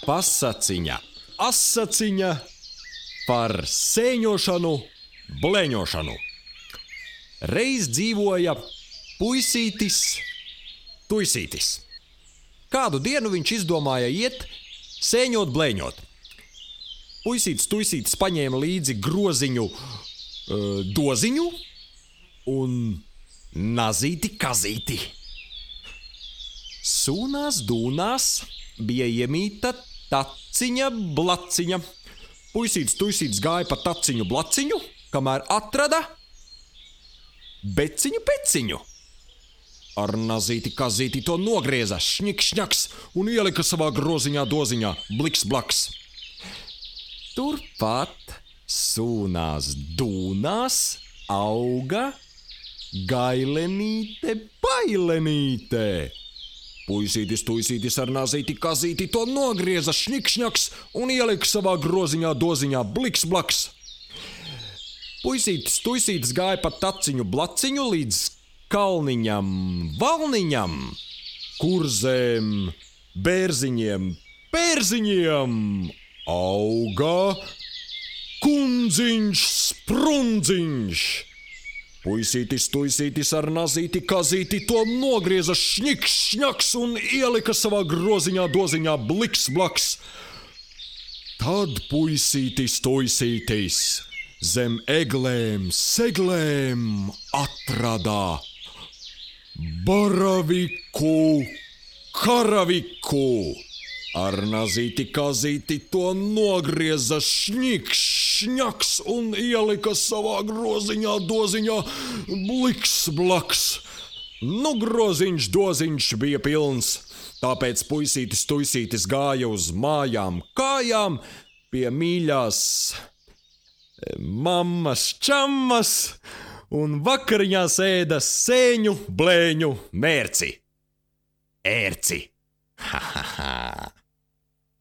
pasaciņa, asaciņa par sēņošanu, bleņošanu. Reiz dzīvoja puisītis, tuisītis. Kādu dienu viņš izdomāja iet sēņot, bleņot. Puisītis, tuisītis paņēma līdzi groziņu, doziņu un nazīti, kazīti. Sūnās, dūnās bija iemīta taciņa, blaciņa. Puisītis, tuisītis gāja pa taciņu, blaciņu, kamēr atrada beciņu, peciņu. Ar nazīti, kazīti to nogrieza, šņik-šņaks un ielika savā groziņā, doziņā, bliks, blaks. Turpat sūnās, dūnās auga gailenīte, bailenīte. Puisītis, tuisītis ar nazīti, kazīti to nogrieza, šņik-šņaks un ielika savā groziņā, doziņā, bliks, blaks. Puisītis, tuisītis gāja pa taciņu, blaciņu līdz kalniņam, valniņam, kurzēm, bērziņiem, pērziņiem. Auga kundziņš, sprundziņš. Puisītis, tuisītis ar nazīti, kazīti to nogrieza, šņiks, šņaks un ielika savā groziņā, doziņā, bliks, blaks. Tad puisītis, tuisītis zem eglēm, seglēm atradā baraviku, karaviku. Ar nazīti, kazīti to nogrieza, šņiks, šņaks un ielika savā groziņā, doziņā, bliks, blaks. Nu, groziņš, doziņš bija pilns, tāpēc puisītis, tuisītis gāja uz mājām, kājām pie mīļās mammas, čammas un vakariņās ēda sēņu, blēņu, mērci. Ērci. Ha!